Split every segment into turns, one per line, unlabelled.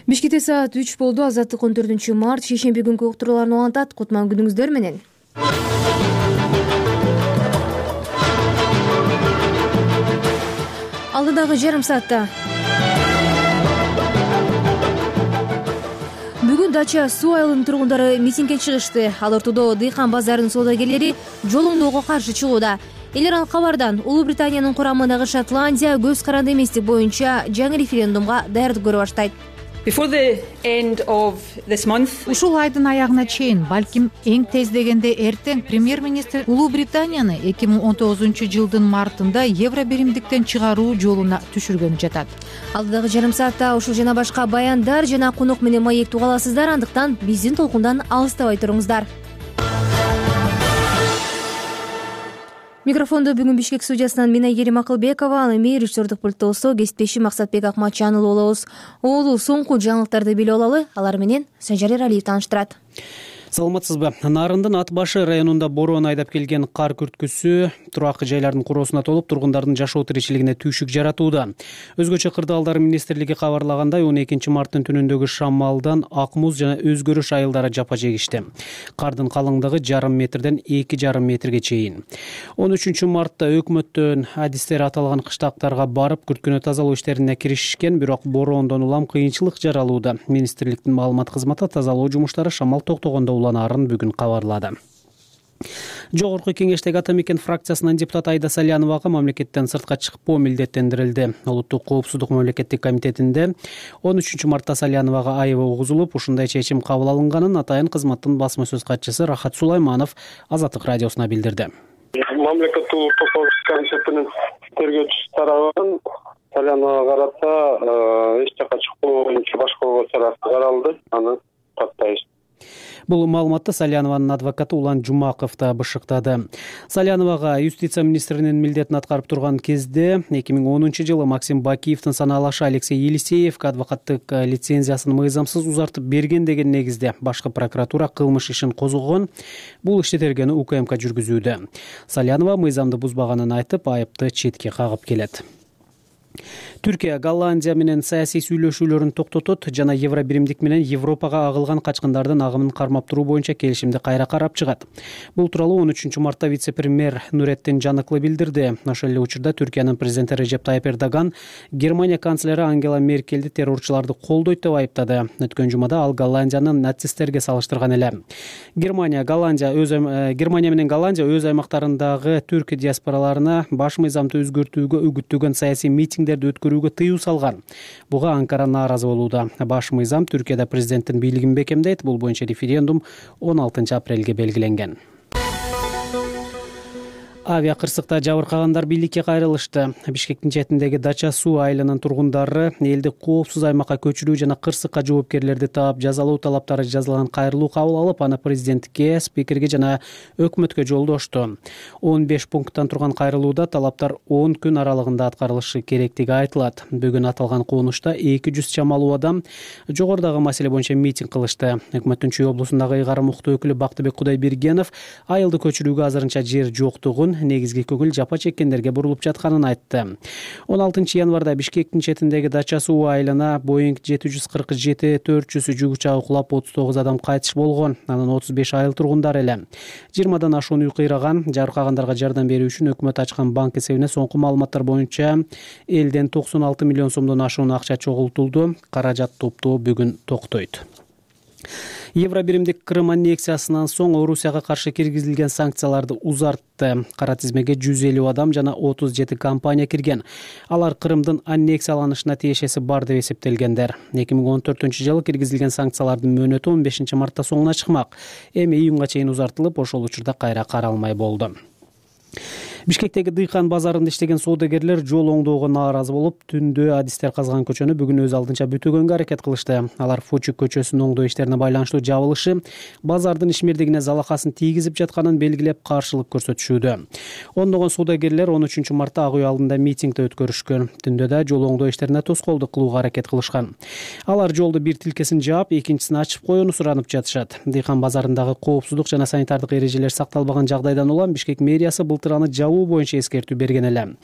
Бишкекте саат 3 болду. Азаттык 14-март шейшемби күнкү уктурууларын улантат. Кутман күнүңүздөр менен. Алдыдагы жарым саатта бүгүн Дача суу айылынын тургундары митингге чыгышты. Ал ортодо дыйкан базарынын соодагерлери жол оңдоого каршы чыгууда. Элер ал кабардан Улуу Британиянын курамындагы Шотландия көз каранды эместик боюнча жаңы референдумга даярдык көрө баштайт.
Ушул айдын аягына чейин, балким эң тез дегенде эртең, премьер-министр Улуу Британияны 2019-жылдын мартында евро биримдиктен чыгаруу жолуна түшүргөнү жатат.
Алдыдагы жарым саатта ушул жана башка баяндар жана конок менен маек тугаласыздар, андыктан биздин толкундан алыстабай туруңуздар. Микрофондо бүгүн Бишкек студиясынан мен Айгерим Акылбекова, ал эми режиссердук пульттосо кесиптешим Максатбек Акматжанұлы болобуз. Оолу соңку жаңылыктарды билип алалы, алар менен Санжар Эралиев тааныштырат.
Саламатсызбы? Нарындын Ат башы районунда бороон айдап келген кар күрткүсү турак жайлардын куроосуна толуп, тургундардын жашоо тиричилигине түйшүк жаратууда. Өзгөчө кырдаалдар министрлиги кабарлагандай, 12-марттын түнүндөгү шамалдан ак муз жана өзгөрүш айылдары жапа жегишти. Кардын калыңдыгы жарым метрден 2,5 метрге чейин. 13-мартта өкмөттөн адистер аталган кыштактарга барып, күрткүнү тазалоо иштерине киришишкен, бирок бороондон улам кыйынчылык жаралууда. Министрликтин маалымат кызматы тазалоо жумуштары шамал токтогондо уланаарын бүгүн кабарлады. Жогорку кеңештеги Ата мекен фракциясынын депутаты Айда Саляновага мамлекеттен сыртка чыкпоо милдеттендирилди. Улуттук коопсуздук мамлекеттик комитетинде 13-мартта Саляновага айыбы угузулуп, ушундай чечим кабыл алынганын атайын кызматтын басма сөз катчысы Рахат Сулайманов Азаттык радиосуна билдирди.
Мамлекеттик улуттук коопсуздук комитетинин тергөөчүсү тарабынан Саляновага карата эч жака чыкпоо боюнча башкаруу чарасы каралды. Аны каттайбыз.
Бул маалыматты Салянованын адвокаты Улан Жумаков да бышыктады. Саляновага юстиция министринин милдетин аткарып турган кезде 2010-жылы Максим Бакиевдин санаалашы Алексей Елисеев адвокаттык лицензиясын мыйзамсыз узартып берген деген негизде башкы прокуратура кылмыш ишин козгогон. Бул ишти тергөөнү УКМК жүргүзүүдө. Салянова мыйзамды бузбаганын айтып, айыпты четке кагып келет. Түркия Голландия менен саясий сүйлөшүүлөрүн токтотот жана евро биримдик менен Европага агылган качкындардын агымын кармап туруу боюнча келишимди кайра карап чыгат. Бул тууралуу 13-мартта вице-премьер Нуретдин Жаныклы билдирди. Ошол эле учурда Түркиянын президенти Режеп Тайып Эрдоган Германия канцлери Ангела Меркельди террорчуларды колдойт деп айыптады. Өткөн жумада ал Голландияны нацисттерге салыштырган эле. Германия менен Голландия өз аймактарындагы түрк диаспораларына баш мыйзамды өзгөртүүгө үгүттөгөн саясий митингдерди өткөрүүгө тыюу салган. Буга Анкара нааразы болууда. Баш мыйзам Түркияда президенттин бийлигин бекемдейт. Бул боюнча референдум 16-апрелге белгиленген. Авиа кырсыкта жабыркагандар бийликке кайрылышты. Бишкектин четиндеги Дача суу айылынын тургундары элди коопсуз аймакка көчүрүү жана кырсыкка жоопкерлерди таап жазалоо талаптары жазылган кайрылуу кабыл алып, аны президентке, спикерге жана өкмөткө жолдошту. 15 пункттан турган кайрылууда талаптар 10 күн аралыгында аткарылышы керектиги айтылат. Бүгүн аталган конушта 200 чамалуу адам жогорудагы маселе боюнча митинг кылышты. Өкмөттүн Чүй облусундагы ыйгарым укуктуу өкүлү Бактыбек Кудайбергенов айылды көчүрүүгө азырынча жер жоктугун, негизги көңүл жапа чеккендерге бурулуп жатканын айтты. 16-январда Бишкектин четиндеги Дача суу айылына Boeing 747-400 жүк учагы кулап 39 адам кайтыш болгон. Анын 35 айыл тургундары эле. 20дан ашуун үй кыйраган. Жабыркагандарга жардам берүү үчүн өкмөт ачкан банк эсебине соңку маалыматтар боюнча элден 96 миллион сомдон ашуун акча чогултулду. Каражат топтоо бүгүн токтойт. Евро биримдик Крым аннексиясынан соң Орусияга каршы киргизилген санкцияларды узартты. Кара тизмеге 150 адам жана 37 компания кирген. Алар Крымдын аннексияланышына тиешеси бар деп эсептелгендер. 2014-жылы киргизилген санкциялардын мөөнөтү 15-мартта соңуна чыкмак. Эми июнга чейин узартылып, ошол учурда кайра каралмай болду. Бишкектеги дыйкан базарында иштеген соодагерлер жол оңдоого нааразы болуп, түндө адистер казган көчөнү бүгүн өз алдынча бүтөгөнгө аракет кылышты. Алар Фочук көчөсүнүн оңдоо иштерине байланыштуу жабылышы базардын ишмердигине залакасын тийгизип жатканын белгилеп каршылык көрсөтүшүүдө. Ондогон соодагерлер 13-мартта Ак үй алдында митингди өткөрүшкөн. Түндө да жол оңдоо иштерине тоскоолдук кылууга аракет кылышкан. Алар жолду бир тилкесин жаап, экинчисин ачып коюуну суранып жатышат. Дыйкан базарындагы коопсуздук жана санитардык эрежелер сакталбаган жагдайдан улам Бишкек мэриясы былтыр аны жабуу боюнча эскертүү берген эле.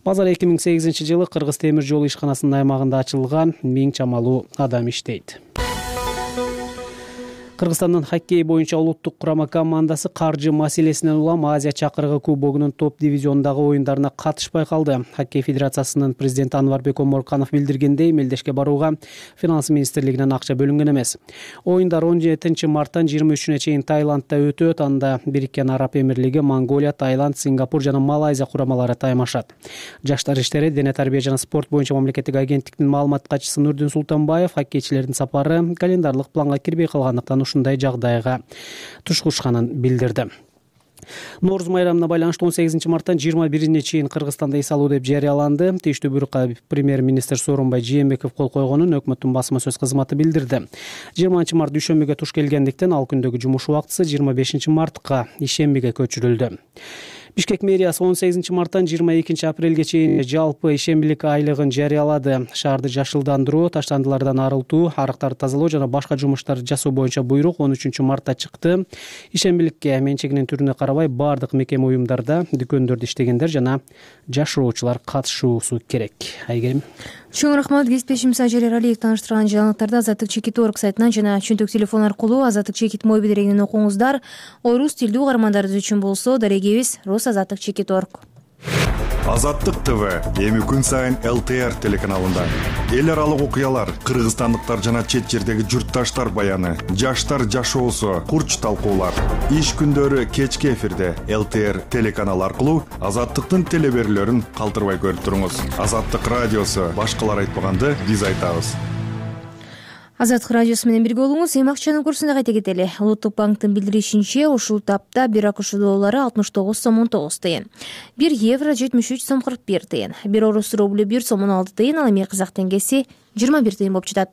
Базар 2008-жылы Кыргыз темир жол ишканасынын аймагында ачылган, 1000 чамалуу адам иштейт. Кыргызстандын хоккей боюнча улуттук курама командасы каржы маселесинен улам Азия чакырыгы кубогунун топ дивизионундагы оюндарына катышпай калды. Хоккей федерациясынын президенти Анварбек Оморканов билдиргендей, мелдешке барууга финанс министрлигинен акча бөлүнгөн эмес. Оюндар 17 марттан 23-үнө чейин Таиландда өтөт. Анда Бириккен Араб Эмирлиги, Монголия, Таиланд, Сингапур жана Малайзия курамалары таймашат. Жаштар иштери, дене тарбия жана спорт боюнча мамлекеттик агенттиктин маалымат катчысы Нурдин Султанбаев коккейчилердин сапары календарлык планга кирбей калгандыктан ушундай жагдайга тушкушканын билдирди. Нооруз майрамына байланыштуу 18 марттан 21-ине чейин Кыргызстанда эс алуу деп жарыяланды. Тийиштүү буйрукка премьер-министр Сооронбай Жээнбеков кол койгонун өкмөттүн басма сөз кызматы билдирди. 20 март дүйшөмбүгө туш келгендиктен ал күндөгү жумуш убактысы 25 мартка ишембиге көчүрүлдү. Бишкек мэриясы 18 марттан 22 апрелге чейин жалпы ишембилик айлыгын жарыялады. Шаарды жашылдандыруу, таштандылардан арылтуу, арыктарды тазалоо жана башка жумуштарды жасоо боюнча буйрук 13 мартта чыкты. Ишембиликке менчигинин түрүнө карабай бардык мекеме уюмдарда, дүкөндөрдө иштегендер жана жашыруучулар катышуусу керек. Айгерим.
Чоң рахмат. Кесиптешим Сажир Эралиев тааныштырган жаңылыктарды Азаттык Чекит.org сайтынан жана чөнтөк телефон аркылуу Азаттык Чекит мобил дерегинен окуңуздар. Орус тилдүү угармандарыбыз үчүн болсо дарегибиз Азаттык Чекит.org.
Азаттык ТВ эми күн сайын ЛТР телеканалында эл аралык окуялар, кыргызстандыктар жана чет жердеги журтташтар баяны, жаштар жашоосу, курч талкуулар. Иш күндөрү кечки эфирде ЛТР телеканалы аркылуу Азаттыктын телеберүүлөрүн калтырбай көрүп туруңуз. Азаттык радиосу башкалар айтпаганды биз айтабыз.
Азаттык радиосу менен бирге болуңуз. Эми акчанын курсуна кайта кетели. Улуттук банктын билдиришинче, ушул тапта 1 АКШ доллары 69 сом 19 тыйын, 1 евро 73 сом 41 тыйын, 1 орус рублю 1 сом 16 тыйын, ал эми казак теңгеси 21 тыйын болуп жатат.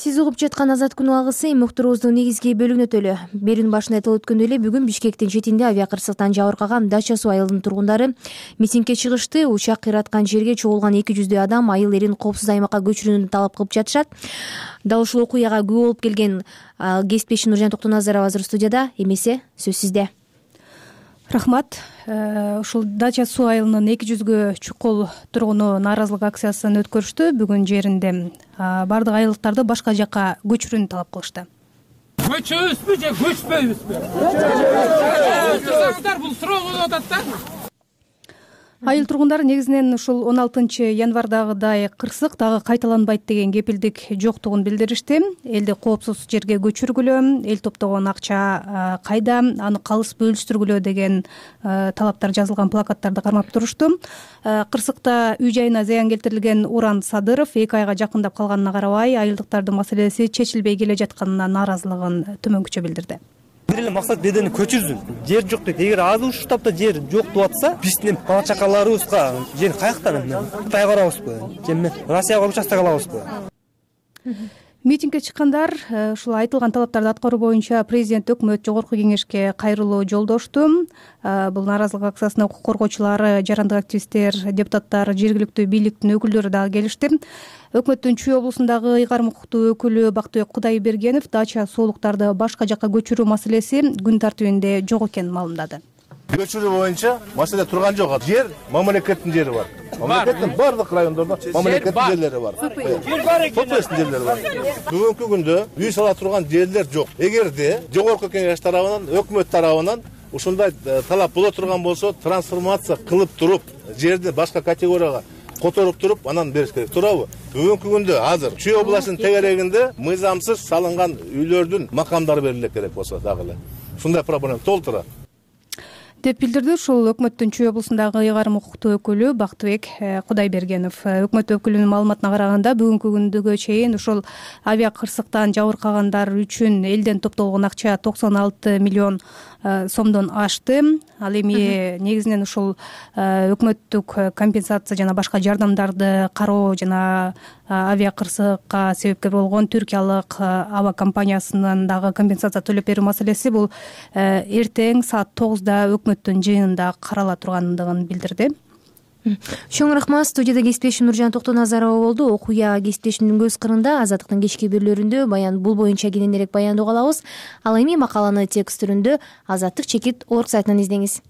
Сиз угуп жаткан Азат күн алгысы муктарыбыздын негизги бөлүгүнө өтөлү. Берүүнүн башында айтылып өткөндөй эле бүгүн Бишкектин четинде авиакырсыктан жабыркаган Дача суу айылынын тургундары митингге чыгышты. Учак кыйраткан жерге чогулган 200 адам айыл эрин коопсуз аймакка көчүрүүнү талап кылып жатышат. Дал ушул окуяга күбө болуп келген кесиптешим Нуржан Токтоназарова азыр студияда. Эмесе сөз сизде.
Рахмат. Ушул Дача суу айылынын 200гө чукул тургуну нааразылык акциясын өткөрүштү. Бүгүн жеринде бардык айылдыктарды башка жакка көчүрүүнү талап кылышты.
Көчөбүзбү же көчпөйбүзбү? Бул суроо болуп атат да.
Айыл тургундары негизинен ушул 16 январдагыдай кырсык дагы кайталанбайт деген кепилдик жоктугун билдиришти. Элди коопсуз жерге көчүргүлө, эл топтогон акча кайда, аны калыс бөлүштүргүлө деген талаптар жазылган плакаттарды кармап турушту. Кырсыкта үй жайына зыян келтирилген Уран Садыров 2 айга жакындап калганына карабай, айылдыктардын маселеси чечилбей келе жатканына нааразылыгын төмөнкүчө билдирди.
Бир эле максат бедени көчүрсүн. Жер жок дейт. Эгер азыр ушул таапта жер жок деп атса, биздин бала чакаларыбызга жер каяктан эмне? Кытай барабызбы? Же эмне? Россияга участок алабызбы?
Митингге чыккандар ушул айтылган талаптарды аткаруу боюнча президент, өкмөт, жогорку кеңешке кайрылуу жолдошту. Бул нааразылык акциясына укук коргоочулары, жарандык активисттер, депутаттар, жергиликтүү бийликтин өкүлдөрү дагы келишти. Өкмөттүн Чүй облусундагы ыйгарым укуктуу өкүлү Бактыбек Кудайбергенов Дача суулуктарды башка жакка көчүрүү маселеси күн тартибинде жок экенин маалымдады.
Көчүрүү боюнча маселе турган жок. Жер мамлекеттин жери бар. Мамлекеттин бардык райондордо мамлекеттин жерлери бар. Жер бар экен. Жерлери бар. Бүгүнкү күндө үй сала турган жерлер жок. Эгерде жогорку кеңеш тарабынан, өкмөт тарабынан ушундай талап боло турган болсо, трансформация кылып туруп, жерди башка категорияга которуп туруп, анан бериш керек. Туурабы? Бүгүнкү күндө азыр Чүй областынын тегерегинде мыйзамсыз салынган үйлөрдүн макамдары бериле керек болсо дагы эле. Ушундай проблема толтура
деп билдирди ушул өкмөттүн Чүй облусундагы ыйгарым укуктуу өкүлү Бактыбек Кудайбергенов. Өкмөт өкүлүнүн маалыматына караганда бүгүнкү күндөгө чейин ушул авиакырсыктан жабыркагандар үчүн элден топтолгон акча 96 миллион сомдон ашты. Ал эми негизинен ушул өкмөттүк компенсация жана башка жардамдарды кароо жана авиакырсыкка себепкер болгон түркиялык аба компаниясынын дагы компенсация төлөп берүү маселеси бул эртең саат 9да өкмөттүн жыйынында карала тургандыгын билдирди.
Чоң рахмат. Студияда кесиптешим Нуржан Токтоназарова болду. Окуя кесиптешимдин көз кырында Азаттыктын кечки берүүлөрүндө бул боюнча кененирээк баяндоо калабыз. Ал эми макаланы текст түрүндө Азаттык чекит орг сайтынан издеңиз.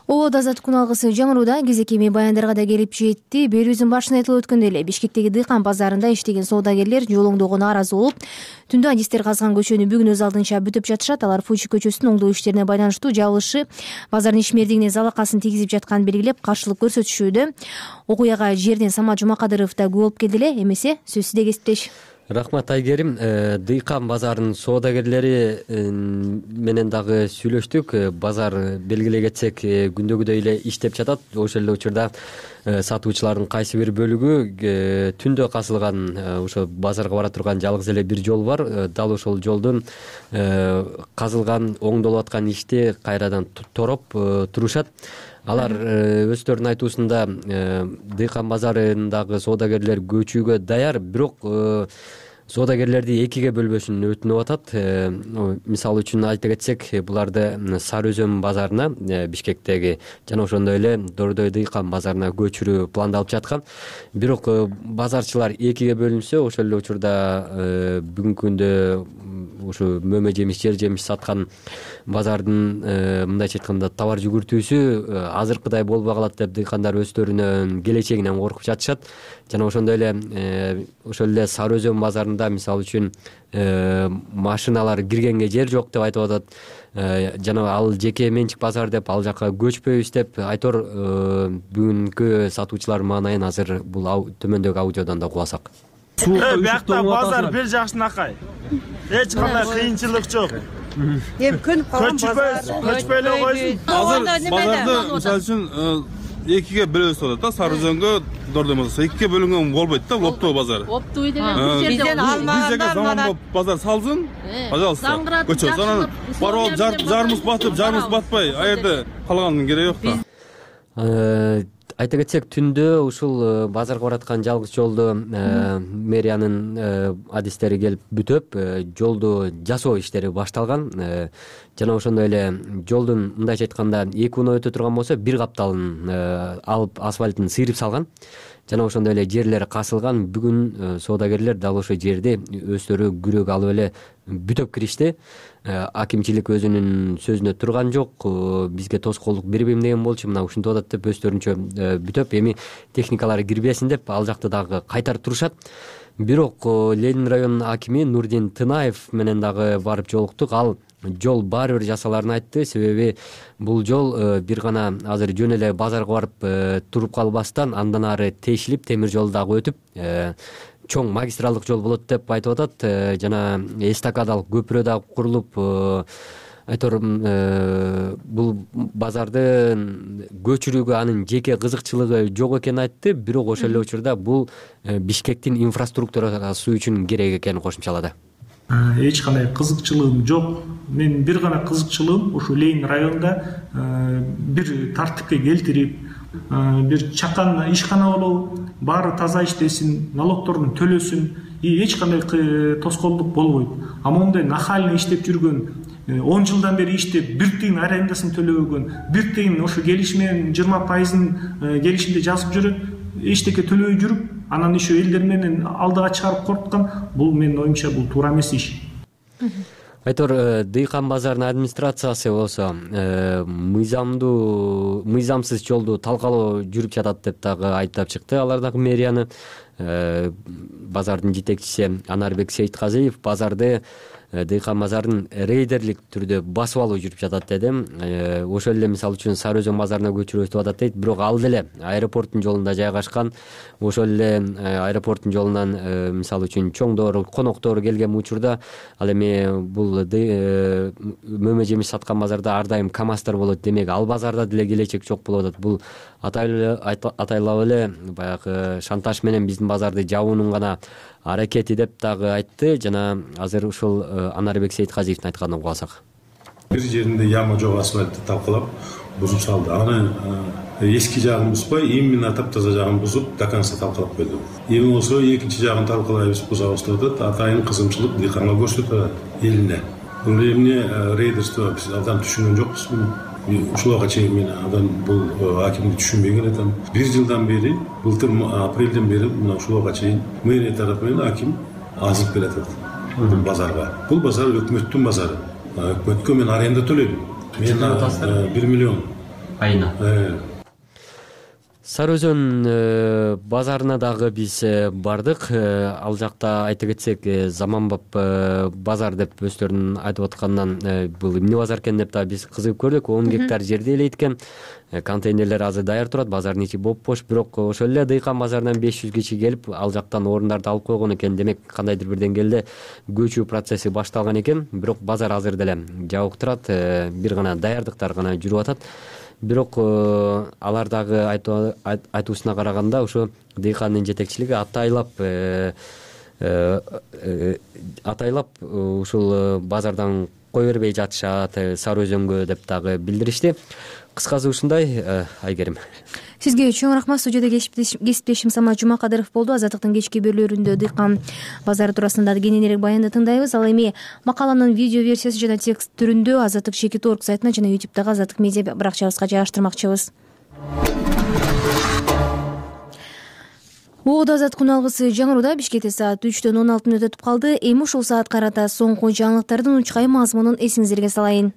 Обод азаттык күн алгысы жаңырууда кезек эми баяндарга да келип жетти. Берүүбүздүн башында айтылып өткөндөй эле Бишкектеги дыйкан базарында иштеген соодагерлер жолоңдоого нааразы болуп, түндө адистер казган көчөнү бүгүн өз алдынча бүтүп жатышат. Алар Фучи көчөсүнүн оңдоо иштерине байланыштуу жабылышы базардын ишмердигине залакасын тийгизип жатканын белгилеп, каршылык көрсөтүшүүдө. Окуяга жерден Самат Жумакадыров да күбө болуп келди эле. Эмесе сөз сизде кесиптеш.
Рахмат Айгерим. Дыйкан базарынын соодагерлери менен дагы сүйлөштүк. Базар белгилей кетсек күндөгүдөй эле иштеп жатат. Ошол эле учурда сатуучулардын кайсы бир бөлүгү түндө касылган ошо базарга бара турган жалгыз эле бир жол бар. Дал ошол жолдун казылган, оңдолуп аткан ишти кайрадан тороп турушат. Алар өздөрүнүн айтуусунда дыйкан базарындагы соодагерлер көчүүгө даяр, бирок соодагерлерди экиге бөлбөсүн өтүнүп атат. Мисалы үчүн айта кетсек, буларды Сары Өзөн базарына, Бишкектеги жана ошондой эле Дордой дыйкан базарына көчүрүү пландалып жаткан. Бирок базарчылар экиге бөлүнсө, ошол эле учурда бүгүнкү күндө ушу мөмө жемиш, жер жемиш саткан базардын мындайча айтканда товар жүгүртүүсү азыркыдай болбой калат деп дыйкандар өздөрүнүн келечегинен коркуп жатышат. Жана ошондой эле ошол эле Сары Өзөн базарында мисалы үчүн машиналар киргенге жер жок деп айтып атат. Жана ал жеке менчик базар деп ал жака көчпөйбүз деп айтор. Бүгүнкү сатуучулар маанайын азыр бул төмөндөгү аудиодон да кубасак.
Биякта базар бир жакшынакай. Эч кандай кыйынчылык жок.
Эми көнүп калган базар.
Көчпөй эле койсун.
Азыр
базарды мисалы үчүн экиге бөлөбүз деп атат да. Сары Өзөнгө Дордой базары экиге бөлүнгөн болбойт да, Оптоо базары.
Оптоо деген бизден алмагандар
заманбап базар салсын. Пожалуйста. Көчө анан барып жарымыз батып, жарымыз батпай, а жерде калганын кереги жок да.
Айта кетсек, түндө ушул базарга бараткан жалгыз жолду мэриянын адистери келип бүтөп, жолду жасоо иштери башталган. Жана ошондой эле жолдун мындайча айтканда 2 унаа өтө турган болсо, бир капталын алып асфальтын сыйрып салган. Жана ошондой эле жерлер касылган. Бүгүн соодагерлер дал ошол жерди өздөрү күрөк алып эле бүтөп киришти. Акимчилик өзүнүн сөзүнө турган жок. Бизге тоскоолдук бербейм деген болчу, мына ушинтип атат деп өздөрүнчө бүтөп, эми техникалар кирбесин деп ал жакты дагы кайтарып турушат. Бирок Ленин районунун акими Нурдин Тынаев менен дагы барып жолуктук. Ал жол баары бир жасаларын айтты. Себеби бул жол бир гана азыр жөн эле базарга барып туруп калбастан андан ары тешилип, темир жол дагы өтүп, чоң магистралдык жол болот деп айтып атат. Жана эстакадалык көпүрө дагы курулуп, айтор бул базарды көчүрүүгө анын жеке кызыкчылыгы жок экенин айтты. Бирок ошол эле учурда бул Бишкектин инфраструктурасы үчүн керек экенин кошумчалады.
Эч кандай кызыкчылыгым жок. Мен бир гана кызыкчылыгым ушу Ленин районунда бир тартипке келтирип, бир чакан ишкана болобу, баары таза иштесин, налогторун төлөсүн, эч кандай тоскоолдук болбойт. А мондай нахально иштеп жүргөн, 10 жылдан бери иштеп, бир тыйын арендасын төлөбөгөн, бир тыйын ошо келишимен 20% келишимде жазып жүрөт, эчтеке төлөбөй жүрүп, анан еще элдер менен алдыга чыгарып коркуткан, бул менин оюмча бул туура эмес иш.
Айтор дыйкан базарынын администрациясы болсо мыйзамсыз жолду талкалоо жүрүп жатат деп дагы айыптап чыкты. Алар дагы мэрияны. Базардын жетекчиси Анарбек Сейитказиев базарды дыйкан базарын рейдерлик түрдө басып алуу жүрүп жатат деди. Ошол эле мисалы үчүн Сары Өзөн базарына көчүрөбүз деп атат дейт. Бирок ал деле аэропорттун жолунда жайгашкан. Ошол эле аэропорттун жолунан мисалы үчүн чоңдор, коноктор келген учурда ал эми бул мөмө жемиш саткан базарда ар дайым КамАЗдар болот. Демек ал базарда деле келечек жок болуп атат. Бул атайлап эле баягы шантаж менен биздин базарды жабуунун гана аракети деп дагы айтты. Жана азыр ушул Анарбек Сейитказиевдин айтканын угасак.
Бир жеринде яма жок асфальтты талкалап бузуп салды. Аны эски жагын бузбай, именно таптаза жагын бузуп, до конца талкалап койду. Эми болсо экинчи жагын талкалайбыз, бузабыз деп атат. Атайын кызымчылык дыйканга көрсөтүп атат элине. Бул эмне рейдерство, биз абдан түшүнгөн жокпуз. ушулга чейин мен бул акимди түшүнбөй келатам. 1 жылдан бери, былтыр апрелден бери мына ушулга чейин мэрия тарапы менен аким азырып келатат бул базарга. Бул базар өкмөттүн базары. Өкмөткө мен аренда төлөйм. Мен 1 миллион
айына. Сары Өзөн базарына дагы биз бардык. Ал жакта айта кетсек, заманбап базар деп өздөрүнүн айтып аткандан бул эмне базар экен деп да биз кызыгып көрдүк. 10 гектар жерди элейт экен. Контейнерлер азыр даяр турат, базардын ичи боп-бош, бирок ошол эле дыйкан базарынан 500 киши келип, ал жактан орундарды алып койгон экен. Демек, кандайдыр бир деңгээлде көчүү процесси башталган экен, бирок базар азыр деле жабык турат, бир гана даярдыктар гана жүрүп атат. Бирок алар дагы айтуусуна караганда ушу дыйкандын жетекчилиги атайлап ушул базардан кой бербей жатышат Сары Өзөнгө деп дагы билдиришти. Кыскасы ушундай. Айгерим,
сизге чоң рахмат. Студияда кесиптешим Самат Жумакадыров болду. Азаттыктын кечки берүүлөрүндө дыйкан базары туурасында кененирээк баянды тыңдайбыз. Ал эми макаланын видео версиясы жана текст түрүндө Азаттык Чекит.org сайтына жана YouTube'дагы Азаттык медиа баракчабызга жайгаштырмакчыбыз. Оодо азат күн алгысы жаңыруда Бишкекте саат 3-төн 16 мүнөт өтүп калды. Эми ушул саат карата соңку жаңылыктардын учкай мазмунун эсиңиздерге салайын.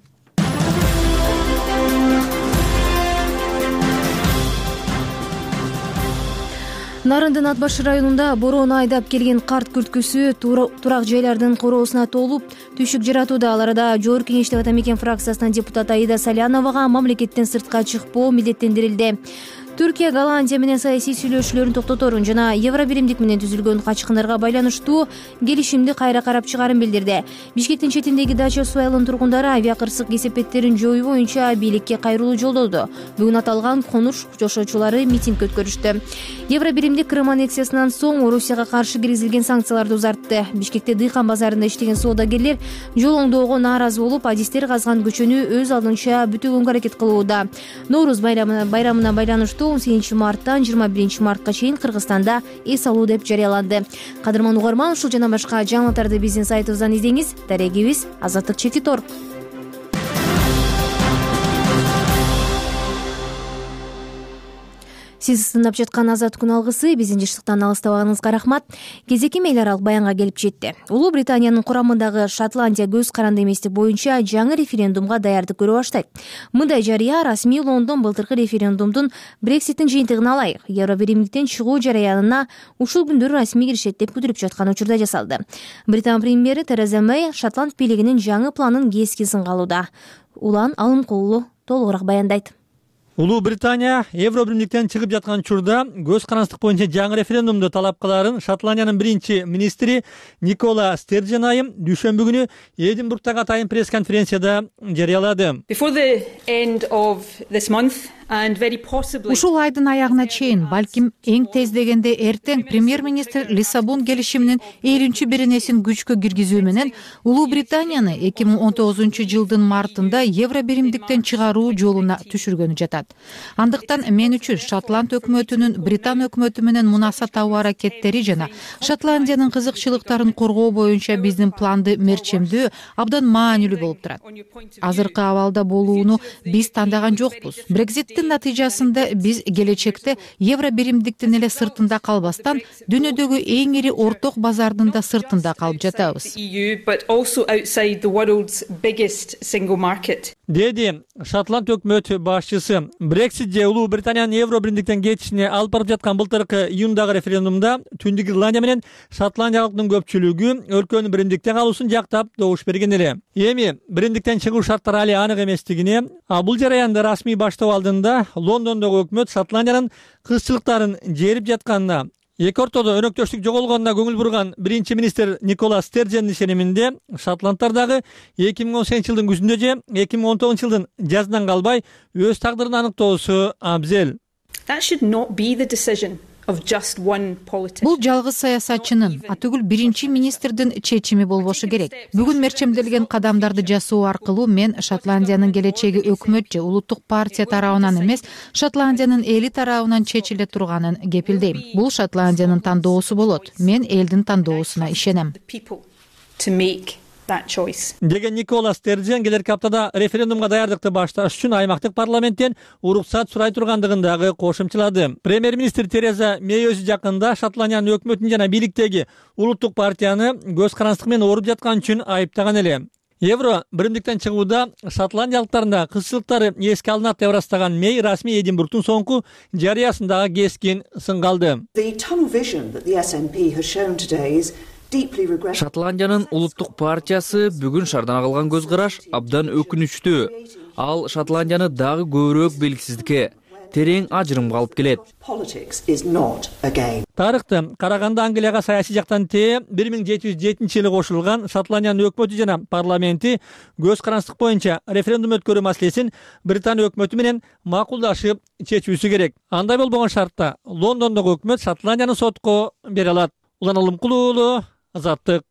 Нарындын Ат башы районунда бороону айдап келген карт күрткүсү турак жайлардын короосуна толуп түйшүк жаратууда. Ал арада Жогорку Кеңештин Ата Мекен фракциясынын депутаты Аида Саляновага мамлекеттен сыртка чыкпоо милдеттендирилди. Түркия Голландия менен саясий сүйлөшүүлөрүн токтоторун жана Евробиримдик менен түзүлгөн качкындарга байланыштуу келишимди кайра карап чыгарын билдирди. Бишкектин четиндеги дача суу айылынын тургундары авиакырсык кесепеттерин жоюу боюнча бийликке кайрылуу жолдоду. Бүгүн аталган конуш жашоочулары митинг өткөрүштү. Евробиримдик Крым аннексиясынан соң Орусияга каршы киргизилген санкцияларды узартты. Бишкекте дыйкан базарында иштеген соодагерлер жол оңдоого нааразы болуп, адистер казган көчөнү өз алдынча бүтөгөнгө аракет кылууда. Нооруз байрамына байланыштуу 18 марттан 21 мартка чейин Кыргызстанда эс алуу деп жарыяланды. Кадырман угарман, ушул жана башка жаңылыктарды биздин сайтыбыздан издеңиз. Дарегибиз Азаттык Чекит.org. Сиз тыңдап жаткан Азат күн алгысы биздин жыштыктан алыстабаганыңызга рахмат. Кезеки эл аралык баянга келип жетти. Улуу Британиянын курамындагы Шотландия көз каранды эместик боюнча жаңы референдумга даярдык көрө баштайт. Мындай жарыя расмий Лондон былтыркы референдумдун Брекситтин жыйынтыгын алайык. Евробиримдиктен чыгуу жарыянына ушул күндөрү расмий киришет деп күтүлүп жаткан учурда жасалды. Британ премьери Тереза Мэй Шотланд бийлигинин жаңы планын кескен сынга алууда. Улан Алымкулуу толугураак баяндайт.
Улуу Британия Евробиримдиктен чыгып жаткан учурда көз карандык боюнча жаңы референдумду талап кыларын Шотландиянын биринчи министри Никола Стерджен айым дүйшөмбү күнү Эдинбургдагы атайын пресс-конференцияда жарыялады.
Ушул айдын аягына чейин, балким эң тез дегенде эртең премьер-министр Лиссабон келишиминин 50-беренесин күчкө киргизүү менен Улуу Британияны 2019-жылдын мартында Евробиримдиктен чыгаруу жолуна түшүргөнү жатат. Андыктан мен үчүн Шотланд өкмөтүнүн Британ өкмөтү менен мунаса табуу аракеттери жана Шотландиянын кызыкчылыктарын коргоо боюнча биздин планды мерчемдөө абдан маанилүү болуп турат. Азыркы абалда болууну биз тандаган жокпуз. Брекситтин натыйжасында биз келечекте Евробиримдиктин эле сыртында калбастан, дүйнөдөгү эң ири орток базардын да сыртында калып жатабыз.
Деди Шотланд өкмөт башчысы. Брексит же Улуу Британиянын Евробиримдиктен кетишине алып барып жаткан былтыркы июндагы референдумда Түндүк Ирландия менен Шотландия халкынын көпчүлүгү өлкөнүн биримдикте калуусун жактап добуш берген эле. Эми биримдиктен чыгуу шарттары али анык эместигине, бул жараянды расмий баштоо алдында Лондондогу өкмөт Шотландиянын кызчылыктарын жерип жатканына, эки ортодо өнөктөштүк жоголгонуна көңүл бурган биринчи министр Никола Стерджендин ишениминде Шотландтар дагы 2018-жылдын күзүндө же 2019-жылдын жазынан калбай өз тагдырын аныктоосу абзел.
Бул жалгыз саясатчынын, атүгүл биринчи министрдин чечими болбошу керек. Бүгүн мерчемделген кадамдарды жасоо аркылуу мен Шотландиянын келечеги өкмөт же улуттук партия тарабынан эмес, Шотландиянын эли тарабынан чечиле турганын кепилдейм. Бул Шотландиянын тандоосу болот. Мен элдин тандоосуна ишенем.
деген Никола Стерджен келерки аптада референдумга даярдыкты башташ үчүн аймактык парламенттен уруксат сурай тургандыгын дагы кошумчалады. Премьер-министр Тереза Мей өзү жакында Шотландиянын өкмөтүн жана бийликтеги улуттук партияны көз карандык менен ооруп жаткан үчүн айыптаган эле. Евро биримдиктен чыгууда шотландиялыктардын кызчылыктары эске алынат деп ырастаган Мей расмий Эдинбургтун соңку жарыясындагы кескин сынга алды.
Шотландиянын улуттук партиясы бүгүн шаардан калган көз караш абдан өкүнүчтүү. Ал Шотландияны дагы көбүрөөк белгисиздикке, терең ажырымга алып келет.
Тарыхты караганда Англияга саясий жактан 1707-жылы кошулган Шотландиянын өкмөтү жана парламенти көз карандык боюнча референдум өткөрүү маселесин Британия өкмөтү менен макулдашып чечүүсү керек. Андай болбогон шартта Лондондогу өкмөт Шотландияны сотко бере алат. Улан Алымкулуу уулу, Азаттык.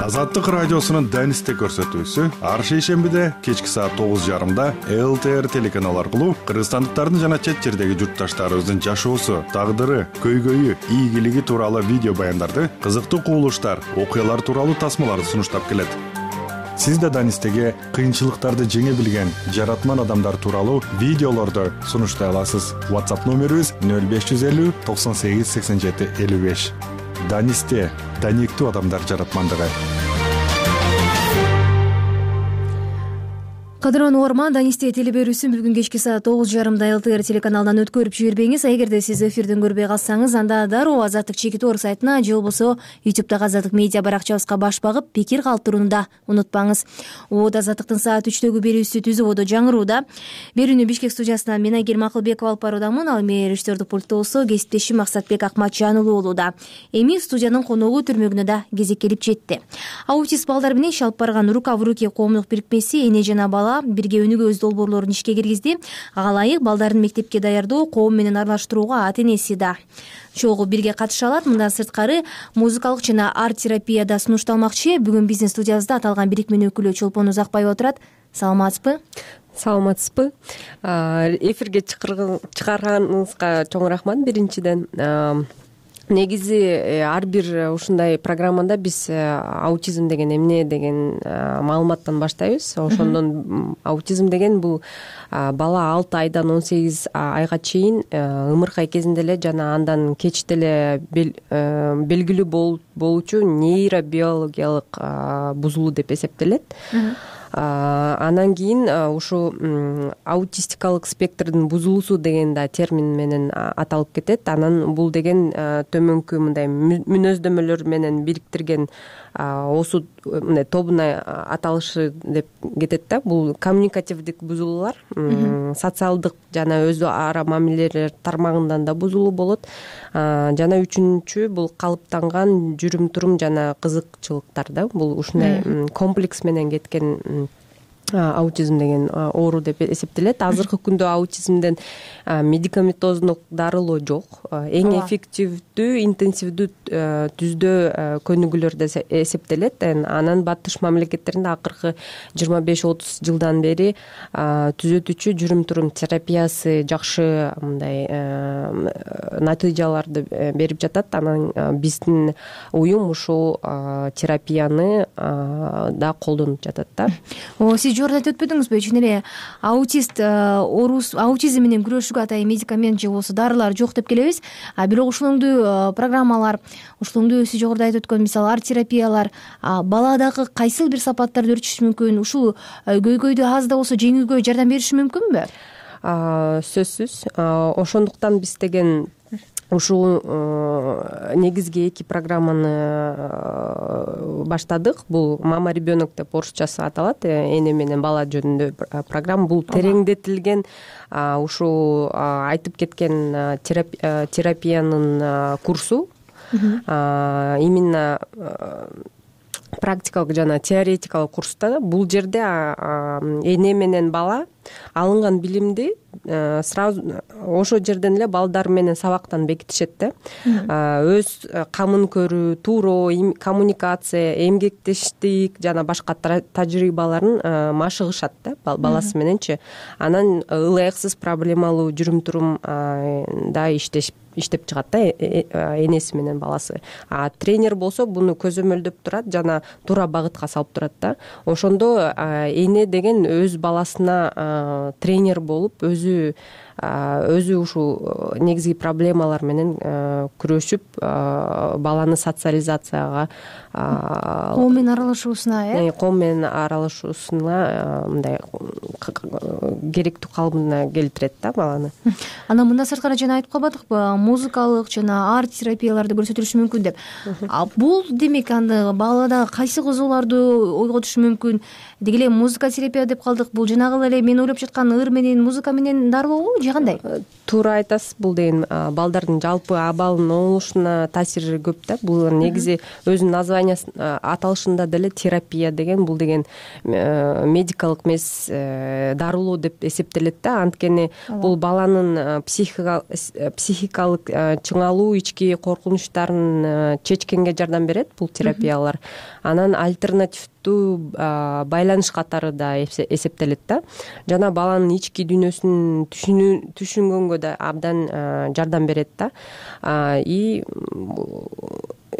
Азаттык радиосунун Данисте көрсөтүүсү ар шейшембиде кечки саат 9:30 ЛТР телеканалы аркылуу кыргызстандыктардын жана чет жердеги журтташтарыбыздын жашоосу, тагдыры, көйгөйү, ийгилиги тууралуу видео баяндарды, кызыктуу кубулуштар, окуялар тууралуу тасмаларды сунуштап келет. Сиз да Данистеге кыйынчылыктарды жеңе билген жаратман адамдар тууралуу видеолорду сунуштай аласыз. WhatsApp номерибиз 0550 98 87 55. Данисте даниктүү адамдар жаратмандыгы.
Кадырлуу угарман, Данисте телеберүүсүн бүгүн кечки саат 9:30 ЛТР телеканалынан өткөрүп жибербеңиз. Эгерде сиз эфирден көрбөй калсаңыз, анда дароо Азаттык чекит орг сайтына же болбосо YouTube'дагы Азаттык медиа баракчабызга баш багып, пикир калтырууну да унутпаңыз. Убада Азаттыктын саат 3дөгү берүүсү түз убодо жаңырууда. Берүүнү Бишкек студиясынан мен Айгер Макылбекова алып баруудамын. Ал эми режиссердик пульттосу кесиптешим Максатбек Акматжанұлы болууда. Эми студиянын коногу түрмөгүнө да кезек келип жетти. Аутист балдар менен иш алып барган Рука в руки коомдук бирикмеси эне жана бала бирге өнүгөбүз долбоорлорун ишке киргизди. Ага ылайык балдарын мектепке даярдоо, коом менен аралаштырууга ата-энеси да чогуу бирге катыша алат. Мындан сырткары музыкалык жана арт терапия да сунушталмакчы. Бүгүн биздин студиябызда аталган бирикменин өкүлү Чолпон Узакбаева отурат. Саламатсызбы?
Саламатсызбы? Эфирге чыгарганыңызга чоң рахмат биринчиден. Негизи ар бир ушундай программада биз аутизм деген эмне деген маалыматтан баштайбыз. Ошондон аутизм деген бул бала 6 айдан 18 айга чейин ымыркай кезинде эле жана андан кеч деле белгилүү болуучу нейробиологиялык бузулуу деп эсептелет. Анан кийин ушу аутистикалык спектрдин бузулуусу деген да термин менен аталып кетет. Анан бул деген төмөнкү мындай мүнөздөмөлөр менен бириктирген осу мындай тобуна аталышы деп кетет да. Бул коммуникативдик бузулуулар, социалдык жана өзү ара мамилелер тармагынан да бузулуу болот. Жана үчүнчү бул калыптанган жүрүм-турум жана кызыкчылыктар да. Бул ушундай комплекс менен кеткен аутизм деген оору деп эсептелет. Азыркы күндө аутизмден медикаментоздук дарылоо жок. Эң эффективдүү, интенсивдүү түздөө көнүгүүлөрдө эсептелет. Анан батыш мамлекеттеринде акыркы 25-30 жылдан бери түзөтүүчү жүрүм-турум терапиясы жакшы мындай натыйжаларды берип жатат. Анан биздин уюм ушул терапияны да колдонуп жатат да.
Сиз жогоруда айтып өтпөдүңүзбү? Чын эле аутизм менен күрөшүүгө атайын медикамент же болбосо дарылар жок деп келебиз. Бирок ушулоңдуу программалар, ушулоңдуу сиз жогоруда айтып өткөн мисалы арт терапиялар баладагы кайсыл бир сапаттарды өөрчүтүшү мүмкүн? Ушул көйгөйдү аз да болсо жеңүүгө жардам бериши мүмкүнбү?
Сөзсүз. Ошондуктан биз деген ушул негизги 2 программаны баштадык. Бул мама ребенок деп орусчасы аталат. Эне менен бала жөнүндө программа. Бул тереңдетилген ушул айтып кеткен терапиянын курсу. Именно практикалык жана теоретикалык курста. Бул жерде эне менен бала алынган билимди сразу ошол жерден эле балдар менен сабактан бекитишет да. Өз камын көрүү, тууроо, коммуникация, эмгектештик жана башка тажрыйбаларын машыгышат да баласы мененчи. Анан ылайыксыз проблемалуу жүрүм-турум да иштешип иштеп чыгат да энеси менен баласы. А тренер болсо буну көзөмөлдөп турат жана туура багытка салып турат да. Ошондо эне деген өз баласына тренер болуп өзү ушул негизги проблемалар менен күрөшүп баланы социализацияга
коом менен аралашуусуна
коом менен аралашуусуна мындай керектүү калыбына келтирет да баланы.
Анан мындан сырткары жана айтып калбадыкпы, музыкалык жана арт терапияларды көрсөтүлүшү мүмкүн деп. Бул демек анда балада кайсы кызууларды ойготушу мүмкүн? Деги эле музыка терапия деп калдык. Бул жанагы эле мен ойлоп жаткан ыр менен музыка менен дарылообу же кандай?
Туура айтасыз. Бул деген балдардын жалпы абалынын оңолушуна таасири көп да. Бул негизи өзүнүн названиясы аталышында деле терапия деген, бул деген медикалык эмес, дарылоо деп эсептелет да. Анткени бул баланын психикалык чыңалуу, ички коркунучтарын чечкенге жардам берет бул терапиялар. Анан альтернативдүү байланыш катары да эсептелет да. Жана баланын ички дүйнөсүн түшүнгөнгө да абдан жардам берет да. И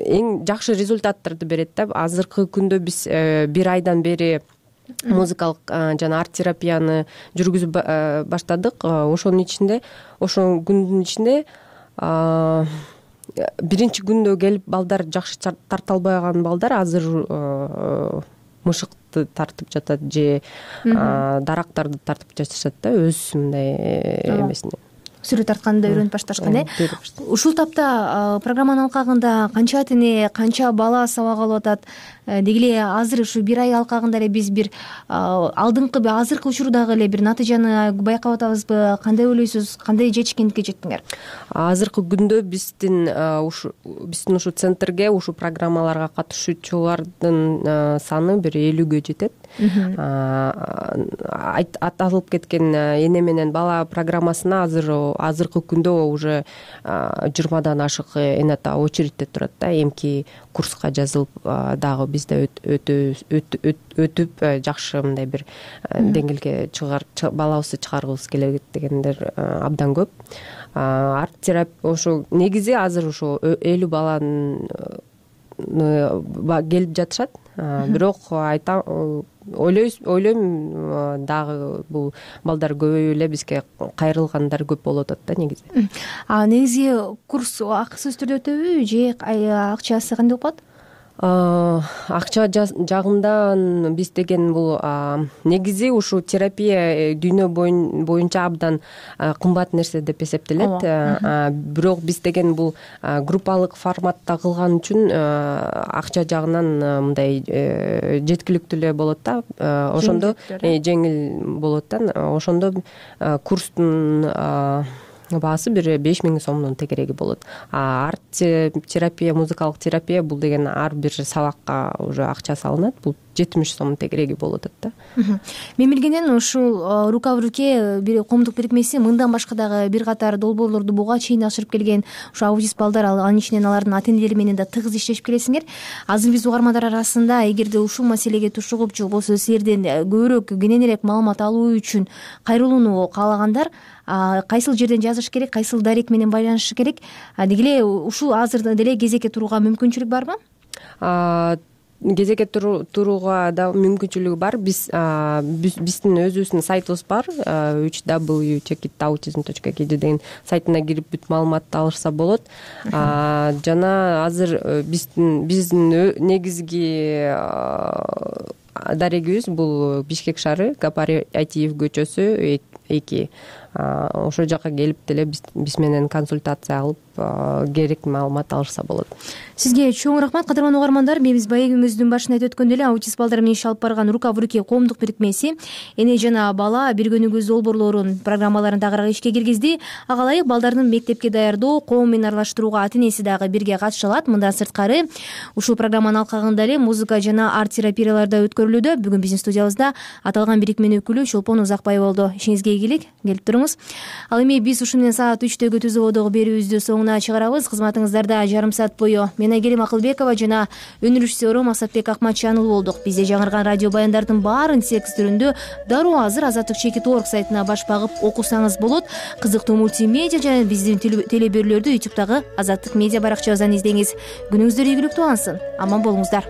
эң жакшы результаттарды берет да. Азыркы күндө биз бир айдан бери музыкалык жана арт терапияны жүргүзүп баштадык. Ошонун күндүн ичинде биринчи күндө келип балдар жакшы тарта албаган балдар азыр мышыкты тартып жатат же дарактарды тартып жатышат да, өз мындай эмесине
сүрөт тартканды үйрөнүп башташкан. Ушул тапта программанын алкагында канча ата эне, канча бала сабак алып атат? Деги эле азыр ушу бир ай алкагында эле биз бир алдыңкы азыркы учурдагы эле бир натыйжаны байкап атабызбы? Кандай ойлойсуз? Кандай жетишкендикке жеттиңер?
Азыркы күндө биздин ушу центрге, ушу программаларга катышуучулардын саны бир 50гө жетет. Аталып кеткен эне менен бала программасына азыркы күндө уже 20дан ашык эне ата очередьте турат да. Эмки курска жазылып дагы бизде өтүп жакшы мындай бир деңгээлге балабызды чыгаргыбыз келет дегендер абдан көп. Арт терапия ошо негизи азыр ошо 50 баланын келип жатышат. Бирок ойлойм дагы бул балдар көбөйүп эле бизге кайрылгандар көп болуп атат да негизи.
Негизи курс акысыз түрдө өтөбү же акчасы кандай болуп калат?
Акча жагында биз деген бул негизи ушу терапия дүйнө боюнча абдан кымбат нерсе деп эсептелет. Бирок биз деген бул группалык форматта кылган үчүн акча жагынан мындай жеткиликтүү эле болот да. Ошондо жеңил болот да. Ошондо курстун баасы бир 5000 сомдун тегереги болот. Арт терапия, музыкалык терапия бул деген ар бир сабакка уже акча салынат. Бул 70 сом тегереги болот да.
Мен билгенден ушул рука в руке бир коомдук бирикмеси мындан башка дагы бир катар долбоорлорду буга чейин ашырып келген. Ушу аутист балдар, анын ичинен алардын ата энелери менен да тыгыз иштешип келесиңер. Азыр биз угармандар арасында эгерде ушул маселеге тушугуп же болбосо силерден көбүрөөк кененирээк маалымат алуу үчүн кайрылууну каалагандар кайсыл жерден жазыш керек, кайсыл дарек менен байланышы керек? Деги эле ушул азыр деле кезекке турууга мүмкүнчүлүк барбы?
Кезекке турууга да мүмкүнчүлүгү бар. Биздин өзүбүздүн сайтыбыз бар. www.checkitautism.kz деген сайтына кирип бүт маалыматты алышса болот. Жана азыр биздин негизги дарегибиз бул Бишкек шаары, Гапари Айтиев көчөсү 2. Ошол жака келип деле биз менен консультация алып керек маалымат алышса болот.
Сизге чоң рахмат, кадырман угармандар. Биз байгибиздин башында айтып өткөндөй эле аутист балдар менен иш алып барган рука в руке коомдук бирикмеси эне жана бала бир күнүгүз долбоорлорун программаларын тагыраак ишке киргизди. Ага ылайык балдардын мектепке даярдоо, коом менен аралаштырууга ата энеси дагы бирге катыша алат. Мындан сырткары ушул программанын алкагында эле музыка жана арт терапиялар да өткөрүлүүдө. Бүгүн биздин студиябызда аталган бирикменин өкүлү Чолпон Узакбай болду. Ишиңизге ийгилик, келип туруңуз. болуңуз. Ал эми биз ушу менен саат 3-төгү түз абадагы берүүбүздү соңуна чыгарабыз. Кызматыңыздарда жарым саат бою мен Айгерим Акылбекова жана өнүрүшсөрүм Асатбек Акматжанов болдук. Бизде жаңырган радио баяндардын баарын текст түрүндө дароо азыр azattik.org сайтына баш багып окусаңыз болот. Кызыктуу мультимедиа жана биздин телеберүүлөрдү YouTube'дагы Азаттык медиа баракчабыздан издеңиз. Күнүңүздөр ийгиликтүү алсын. Аман болуңуздар.